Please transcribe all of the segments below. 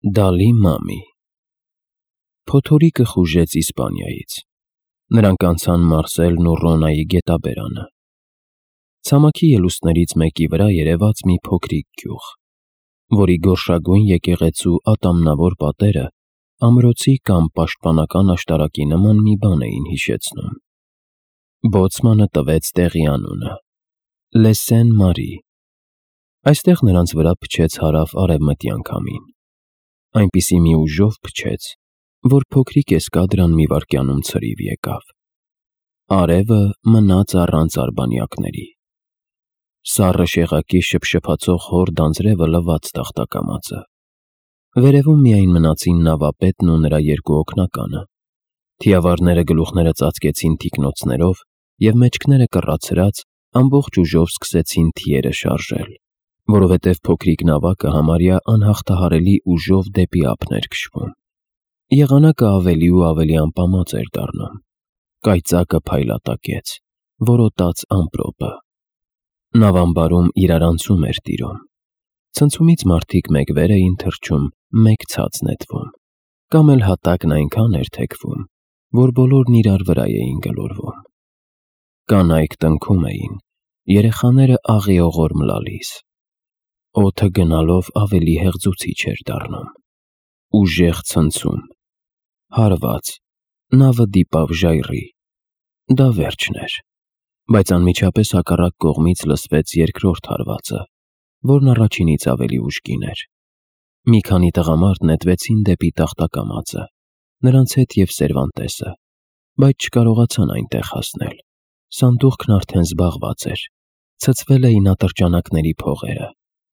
Դալի Մամի Փոթորիկը խուժեց Իսպանիայից։ Նրանք անցան Մարսելն ու Ռոնայի գետաբերանը։ Ցամաքի ելուստներից մեկի վրա երևաց մի փոքրիկ գյուղ, որի գորշագույն եկեղեցու ատամնավոր պատերը ամրոցի կամ պաշտպանական աշտարակի նման մի բան էին հիշեցնում։ Բոցմանը տվեց տեղի անունը՝ Լեսեն Մարի։ Այստեղ նրանց վրա փչեց հարավ-արևմտյան քամին։ Այնպիսի մի ուժով փչեց, որ փոքրիկ էսկադրան մի վայրկյանում ցրիվ եկավ։ Արևը մնաց առանց արբանյակների։ Սառը շեղակի շփշփացող հոր դանձրևը լվաց տախտակամածը։ Վերևում միայն մնացին նավապետն ու նրա երկու օգնականը։ Թիավարները գլուխները ծածկեցին թիկնոցներով և մեջքները կռացրած ամբողջ ուժով սկսեցին թիերը շարժել, որովհետև փոքրիկ նավակը համարյա անհաղթահարելի ուժով դեպի ափն էր քշվում։ Եղանակը ավելի ու ավելի ամպամած էր դառնում։ Կայծակը փայլատակեց, որոտաց ամպրոպը։ Նավամբարում իրարանցում էր տիրում։ Ցնցումից մարդիկ մեկ վեր էին թռչում, մեկ ցած նետվում, կամ էլ հատակն այնքան էր թեքվում, որ բոլորն իրար վրա էին գլորվում։ Կանայք տնքում էին, երեխաները աղիողոր մլալիս։ Օդը գնալով ավելի հեղձուցիչ էր դառնում։ Ուժեղ ցնցում։ Հարված։ Նավը դիպավ ժայռի։ Դա վերջն էր։ Բայց անմիջապես հակառակ կողմից լսվեց երկրորդ հարվածը, որն առաջինից ավելի ուժգին էր։ Մի քանի տղամարդ նետվեցին դեպի տախտակամածը, նրանց հետ և Սերվանտեսը, բայց չկարողացան այնտեղ հասնել։ Սանդուղքն արդեն զբաղված էր։ Ցցվել էին ատրճանակների փողերը։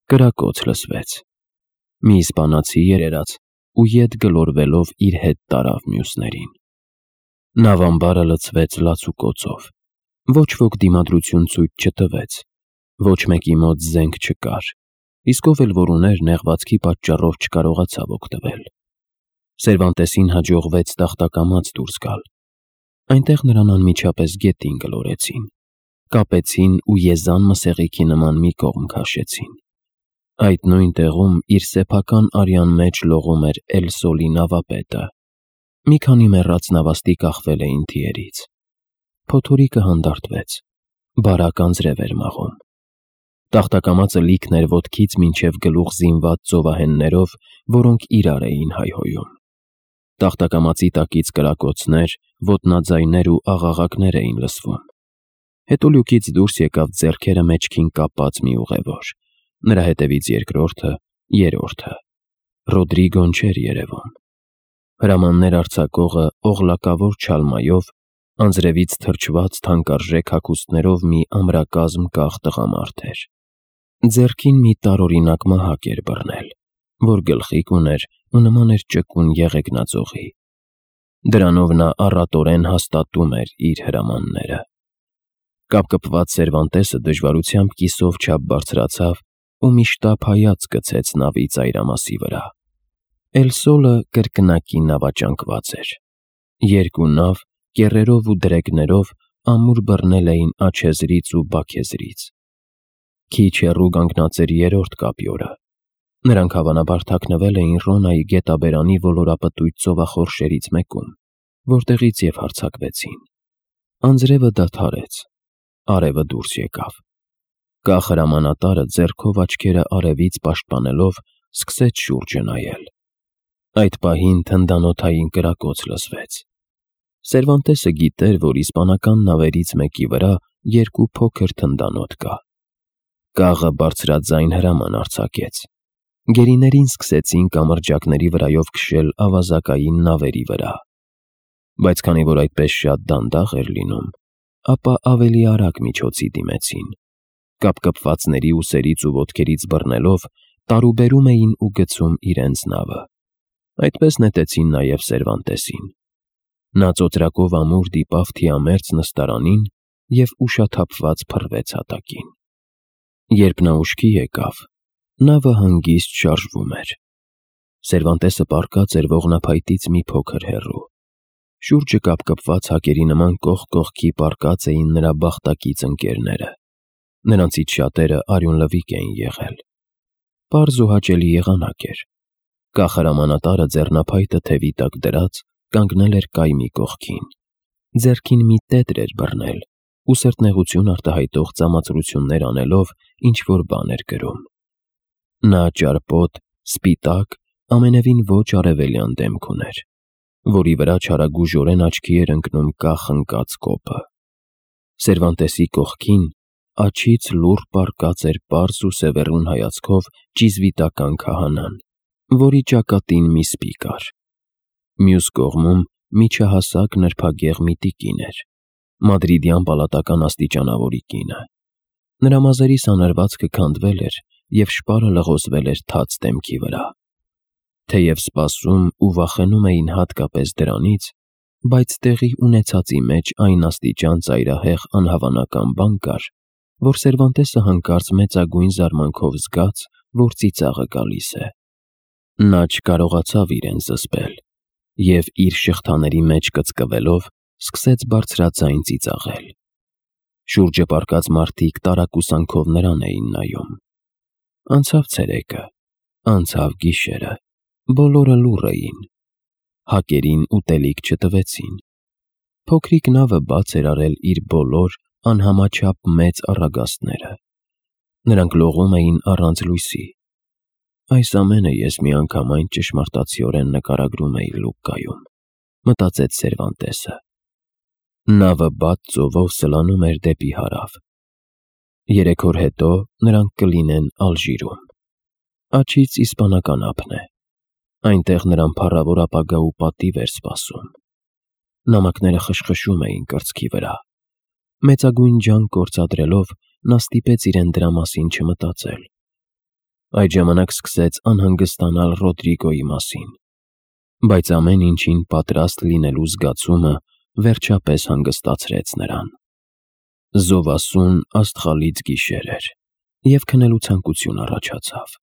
Կրակոց լսվեց։ Մի իսպանացի երերաց ու ետ գլորվելով իր հետ տարավ մյուսներին։ Նավամբարը լցվեց լացուկոցով։ Ոչ ոք դիմադրություն ցույց չտվեց։ Ոչ մեկի մոտ զենք չկար, իսկ ով էլ որ ուներ, նեղվածքի պատճառով չկարողացավ օգտվել։ Սերվանտեսին հաջողվեց տախտակամած դուրս գալ։ Այնտեղ նրան անմիջապես գետին գլորեցին, կապեցին ու եզան մսեղիքի նման մի կողմ քաշեցին։ Այդ նույն տեղում իր սեփական արյան մեջ լողում էր Էլ Սոլի նավապետը։ Մի քանի մեռած նավաստի կախվել էին թիերից։ Փոթորիկը հանդարտվեց։ Բարակ անձրև էր մաղում։ Տախտակամածը լիքն էր ոտքից մինչև գլուխ զինված ծովահեններով, որոնք իրար էին հայհոյում։ Տախտակամածի տակից կրակոցներ, ոտնաձայներ ու աղաղակներ էին լսվում։ Հետո լյուկից դուրս եկավ ձեռքերը մեջքին կապած մի ուղևոր։ Նրա հետևից երկրորդը, երրորդը։ Ռոդրիգոն չէր երևում։ Հրամաններ արձակողը օղլակավոր չալմայով, անձրևից թրջված թանկարժեք հագուստներով մի ամրակազմ կախ տղամարդ էր։ Ձեռքին մի տարօրինակ մահակ էր բռնել, որ գլխիկ ուներ ու նման էր ճկուն եղեգնաձողի։ Դրանով նա առատորեն հաստատում էր իր հրամանները։ Կապկպված Սերվանտեսը դժվարությամբ կիսով չափ բարձրացավ ու մի շտապ հայացք գցեց նավի ծայրամասի վրա։ Էլ Սոլը կրկնակի նավաճանկված էր։ Երկու նավ կեռերով ու դրեգներով ամուր բռնել էին Աջեզրից ու Բաքեզրից։ Քիչ հեռու կանգնած էր երրորդ կապյորը։ Նրանք հավանաբար թաքնվել էին Ռոնայի գետաբերանի ոլորապտույտ ծովախորշերից մեկում, որտեղից և հարձակվեցին։ Անձրևը դադարեց։ Արևը դուրս եկավ։ Կախ հրամանատարը ձեռքով աչքերը արևից պաշտպանելով սկսեց շուրջը նայել։ Այդ պահին թնդանոթային կրակոց լսվեց։ Սերվանտեսը գիտեր, որ իսպանական նավերից մեկի վրա երկու փոքր թնդանոթ կա։ Կաղը բարձրաձայն հրաման արձակեց։ Գերիներին սկսեցին կամրջակների վրայով քշել ավազակային նավերի վրա։ Բայց քանի որ այդպես շատ դանդաղ էր լինում, ապա ավելի արագ միջոցի դիմեցին։ Կապկպվածների ուսերից ու ոտքերից բռնելով տարուբերում էին ու գցում իրենց նավը։ Այդպես նետեցին նաև Սերվանտեսին։ Նա ծոծրակով ամուր դիպավ թիամերձ նստարանին և ուշաթափված փռվեց հատակին։ Երբ նա ուշքի եկավ, նավը հանգիստ շարժվում էր։ Սերվանտեսը պառկած էր ողնափայտից մի փոքր հեռու։ Շուրջը կապկպված հակերի նման կողք կողքի պառկած էին նրա բախտակից ընկերները։ Նրանցից շատերը արյունլվիկ էին եղել։ Պարզ ու հաճելի եղանակ էր։ Կախարամանատարը ձեռնափայտը թևի տակ դրած կանգնել էր կայմի կողքին։ Ձեռքին մի տետր էր բռնել ու սրտնեղություն արտահայտող ծամացրություններ անելով ինչ-որ բան էր գրում։ Նա ճարպոտ, սպիտակ, ամենևին ոչ արևելյան դեմք ուներ, որի վրա չարագուժորեն աչքի էր ընկնում կախ ընկած կոպը։ Սերվանտեսի կողքին աջից լուռ պառկած էր պարզ ու սևեռուն հայացքով ճիզվիտական քահանան, որի ճակատին մի սպի կար։ Մյուս կողմում միջահասակ նրբագեղ մի տիկին էր, մադրիդյան պալատական աստիճանավորի կինը։ Նրա մազերի սանրվածքը քանդվել էր և շպարը լղոզվել էր թաց դեմքի վրա։ Թեև սպասում ու վախենում էին հատկապես դրանից, բայց տեղի ունեցածի մեջ այն աստիճան ծայրահեղ անհավանական բան կար, որ Սերվանտեսը հանկարծ մեծագույն զարմանքով զգաց, որ ծիծաղը գալիս է։ Նա չկարողացավ իրեն զսպել և իր շղթաների մեջ կծկվելով սկսեց բարձրաձայն ծիծաղել։ Շուրջը պառկած մարդիկ տարակուսանքով նրան էին նայում։ Անցավ ցերեկը, անցավ գիշերը, բոլորը լուռ էին։ Հակերին ուտելիք չտվեցին։ Փոքրիկ նավը բաց էր արել իր բոլոր անհամաչափ մեծ առագաստները։ Նրանք լողում էին առանց լույսի։ Այս ամենը ես միանգամայն ճշմարտացիորեն նկարագրում էի Լուկայում, մտածեց Սերվանտեսը։ Նավը բաց ծովով սլանում էր դեպի հարավ։ 3 օր հետո նրանք կլինեն Ալժիրում։ Աջից իսպանական ափն է։ Այնտեղ նրան փառավոր ապագա ու պատիվ էր սպասում։ Նամակները խշխշում էին կրծքի վրա։ Մեծագույն ջանք գործադրելով նա ստիպեց իրեն դրա մասին չմտածել։ Այդ ժամանակ սկսեց անհանգստանալ Ռոդրիգոյի մասին, բայց ամեն ինչին պատրաստ լինելու զգացումը վերջապես հանգստացրեց նրան։ Զովասուն աստղալից գիշեր էր, և քնելու ցանկություն առաջացավ։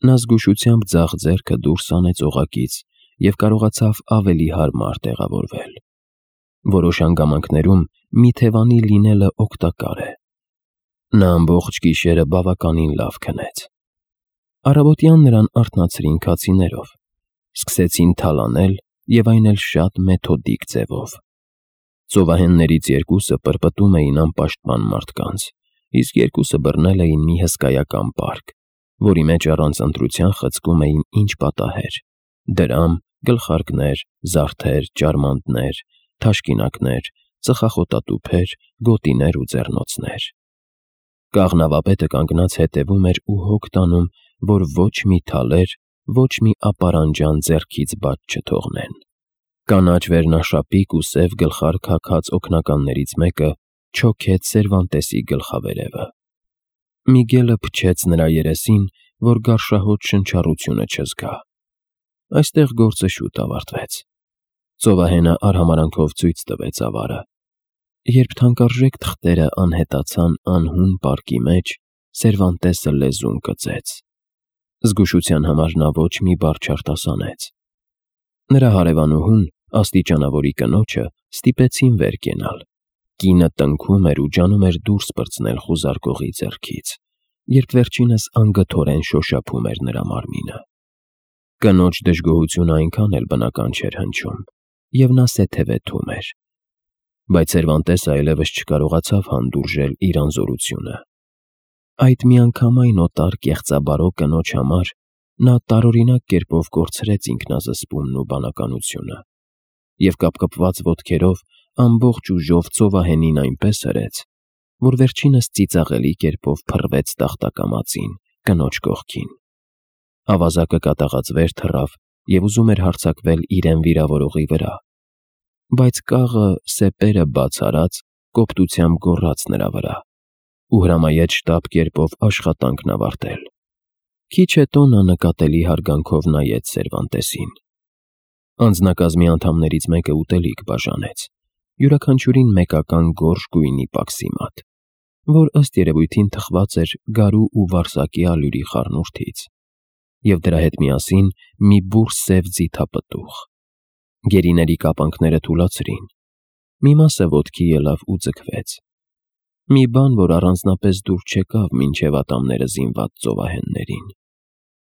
Նա զգուշությամբ ձախ ձեռքը դուրս հանեց օղակից և կարողացավ ավելի հարմար տեղավորվել։ Որոշ հանգամանքներում մի թևանի լինելը օգտակար է։ Նա ամբողջ գիշերը բավականին լավ քնեց։ Առավոտյան նրան արթնացրին քացիներով, սկսեցին թալանել և այն էլ շատ մեթոդիկ ձևով։ Ծովահեններից 2-ը պրպտում էին անպաշտպան մարդկանց, իսկ 2-ը բռնել էին մի հսկայական պարկ, որի մեջ առանց ընտրության խցկում էին ինչ պատահեր՝ դրամ, գլխարկներ, զարդեր, ճարմանտներ, թաշկինակներ, ծխախոտատուփեր, գոտիներ ու ձեռնոցներ։ Կաղնավապետը կանգնած հետևում էր ու հոգ տանում, որ ոչ մի թալեր, ոչ մի ապարանջան ձեռքից բաց չթողնեն։ Կանաչ վերնաշապիկ ու սև գլխարկ հագած օգնականներից մեկը չոքեց Սերվանտեսի գլխավերևը։ Միգելը փչեց նրա երեսին, որ գարշահոտ շնչառությունը չզգա։ Այստեղ գործը շուտ ավարտվեց։ Ծովահենը արհամարանքով ցույց տվեց ավարը։ Երբ թանկարժեք թղթերը անհետացան անհուն պարկի մեջ, Սերվանտեսը լեզուն կծեց։ Զգուշության համար նա ոչ մի բառ չարտասանեց։ Նրա հարևանուհուն, աստիճանավորի կնոջը, ստիպեցին վեր կենալ։ Կինը տնքում էր ու ջանում էր դուրս պրծնել խուզարկողի ձեռքից, երբ վերջինս անգթորեն շոշափում էր նրա մարմինը։ Կնոջ դժգոհությունը այնքան էլ բնական չէր հնչում, և նա սեթևեթում էր։ Բայց Սերվանտեսը այլևս չկարողացավ հանդուրժել իր անզորությունը։ Այդ միանգամայն օտար կեղծաբարո կնոջ համար նա տարօրինակ կերպով կորցրեց ինքնազսպումն ու բանականությունը, և կապկպված ոտքերով ամբողջ ուժով ծովահենին այնպես հրեց, որ վերջինս ծիծաղելի կերպով փռվեց տախտակամածին, կնոջ կողքին։ Ավազակը կատաղած վեր թռավ և ուզում էր հարձակվել իրեն վիրավորողի վրա, բայց կաղը սեպերը բաց արած կոպտությամբ գոռաց նրա վրա ու հրամայեց շտապ կերպով աշխատանքն ավարտել։ Քիչ հետո նա նկատելի հարգանքով նայեց Սերվանտեսին։ Անձնակազմի անդամներից մեկը ուտելիք բաժանեց, յուրաքանչյուրին մեկական գորշ գույնի պաքսիմատ, որ ըստ երևույթին թխված էր գարու ու վարսակի ալյուրի խառնուրդից, և դրա հետ միասին մի բուռ սև ձիթապտուղ։ Գերիների կապանքները թուլացրին։ Մի մասը ոտքի ելավ ու ձգվեց։ Մի բան, որ առանձնապես դուր չեկավ մինչև ատամները զինված ծովահեններին։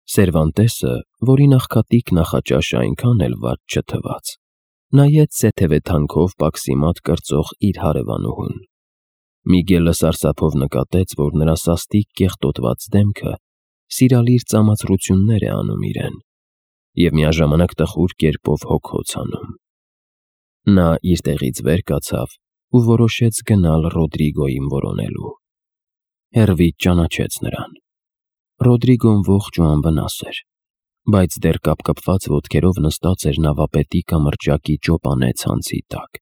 Սերվանտեսը, որի նախքատիկ նախաճաշը այնքան էլ վատ չթվաց, նայեց սեթևեթանքով պաքսիմատ կրծող իր հարևանուհուն։ Միգելը սարսափով նկատեց, որ նրա սաստիկ կեղտոտված դեմքը սիրալիր ծամացրություններ է անում իրեն և միաժամանակ տխուր կերպով հոգոց անում։ Նա իր տեղից վեր կացավ ու որոշեց գնալ Ռոդրիգոյին որոնելու։ Հեռվից ճանաչեց նրան։ Ռոդրիգոն ողջ ու անվնաս էր, բայց դեռ կապկպված ոտքերով նստած էր նավապետի կամրջակի ճոպանե ցանցի տակ։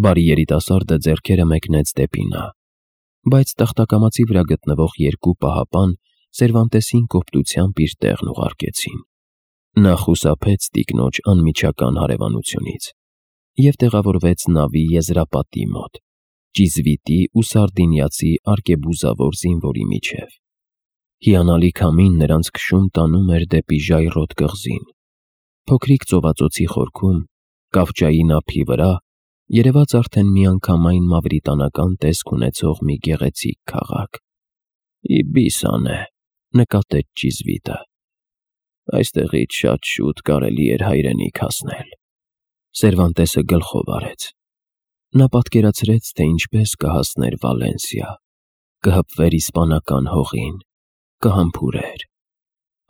Բարի երիտասարդը ձեռքերը մեկնեց դեպի նա, բայց տախտակամածի վրա գտնվող երկու պահապան Սերվանտեսին կոպտությամբ իր տեղն ուղարկեցին։ Նա խուսափեց տիկնոջ անմիջական հարևանությունից և տեղավորվեց նավի եզրապատի մոտ, ճիզվիտի ու սարդինիացի արկեբուզավոր զինվորի միջև։ Հիանալի քամին նրանց քշում տանում էր դեպի ժայռոտ կղզին։ Փոքրիկ ծովածոցի խորքում, կավճայի ափի վրա, երևաց արդեն միանգամայն մավրիտանական տեսք ունեցող մի գեղեցիկ քաղաք։ «Իբիսան է», նկատեց ճիզվիտը։ «Այստեղից շատ շուտ կարելի էր հայրենիք հասնել»։ Սերվանտեսը գլխով արեց։ Նա պատկերացրեց, թե ինչպես կհասներ Վալենսիա, կհպվեր իսպանական հողին, կհամբուրեր։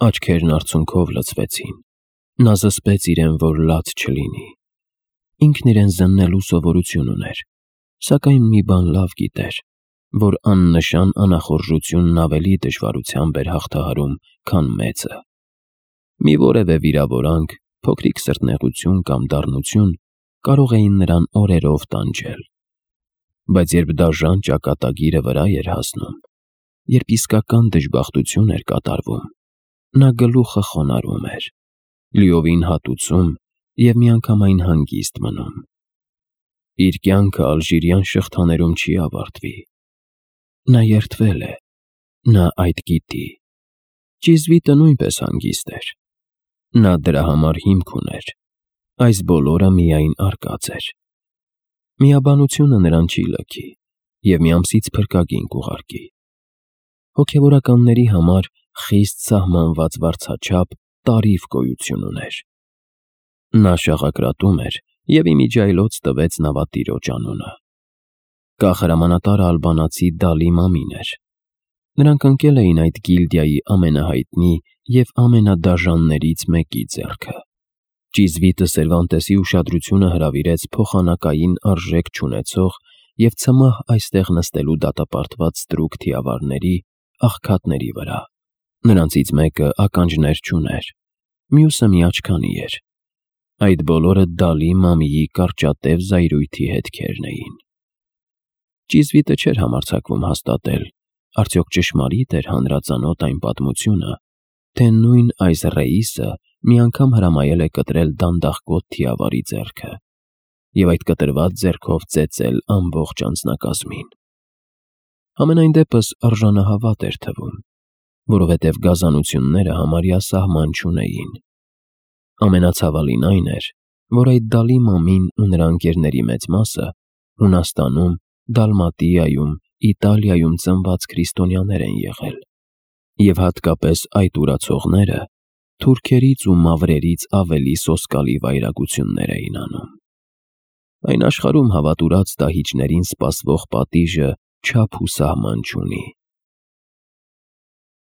Աչքերն արցունքով լցվեցին։ Նա զսպեց իրեն, որ լաց չլինի։ Ինքն իրեն զննելու սովորություն ուներ, սակայն մի բան լավ գիտեր, որ աննշան անախորժությունն ավելի դժվարությամբ էր հաղթահարում, քան մեծը։ Մի որևէ վիրավորանք, փոքրիկ սրտնեղություն կամ դառնություն կարող էին նրան օրերով տանջել։ Բայց երբ դաժան ճակատագիրը վրա էր հասնում, երբ իսկական դժբախտություն էր կատարվում, նա գլուխը խոնարհում էր, լիովին հատուցում և միանգամայն հանգիստ մնում։ Իր կյանքը ալժիրյան շղթաներում չի ավարտվի։ Նա երդվել է, նա այդ գիտի։ Ճիզվիտը նույնպես հանգիստ էր։ Նա դրա համար հիմք ուներ։ Այս բոլորը միայն արկած էր։ Միաբանությունը նրան չի լքի և մի ամսից փրկագին կուղարկի։ Հոգևորականների համար խիստ սահմանված վարձաչափ տարիֆ գոյություն ուներ։ Նա շաղակրատում էր և իմիջիայլոց տվեց նավատիրոջ անունը։ Կախարամանատարը ալբանացի Դալի Մամին էր։ Նրանք ընկել էին այդ գիլդիայի ամենահայտնի և ամենադաժաններից մեկի ձեռքը։ Ճիզվիտը Սերվանտեսի ուշադրությունը հրավիրեց փոխանակային արժեք չունեցող և ցմահ այստեղ նստելու դատապարտված ստրուկ թիավարների, աղքատների վրա։ Նրանցից մեկը ականջներ չուներ, մյուսը միաչքանի էր։ Այդ բոլորը Դալի Մամիի կարճատև զայրույթի հետքերն էին։ Ճիզվիտը չէր համարձակվում հաստատել, արդյոք ճշմարիտ էր հանրածանոթ այն պատմությունը, թե նույն այս Ռեիսը մի անգամ հրամայել է կտրել դանդաղկոտ թիավարի ձեռքը և այդ կտրված ձեռքով ծեծել ամբողջ անձնակազմին։ Համենայն դեպս արժանահավատ էր թվում, որովհետև գազանությունները համարյա սահման չունեին։ Ամենացավալին այն էր, որ այդ Դալի Մամին ու նրա ընկերների մեծ մասը Հունաստանում, Դալմատիայում, Իտալիայում ծնված քրիստոնյաներ են եղել, և հատկապես այդ ուրացողները թուրքերից ու մավրերից ավելի սոսկալի վայրագություններ էին անում։ Այն աշխարհում հավատուրած դահիճներին սպասվող պատիժը չափ ու սահման չունի։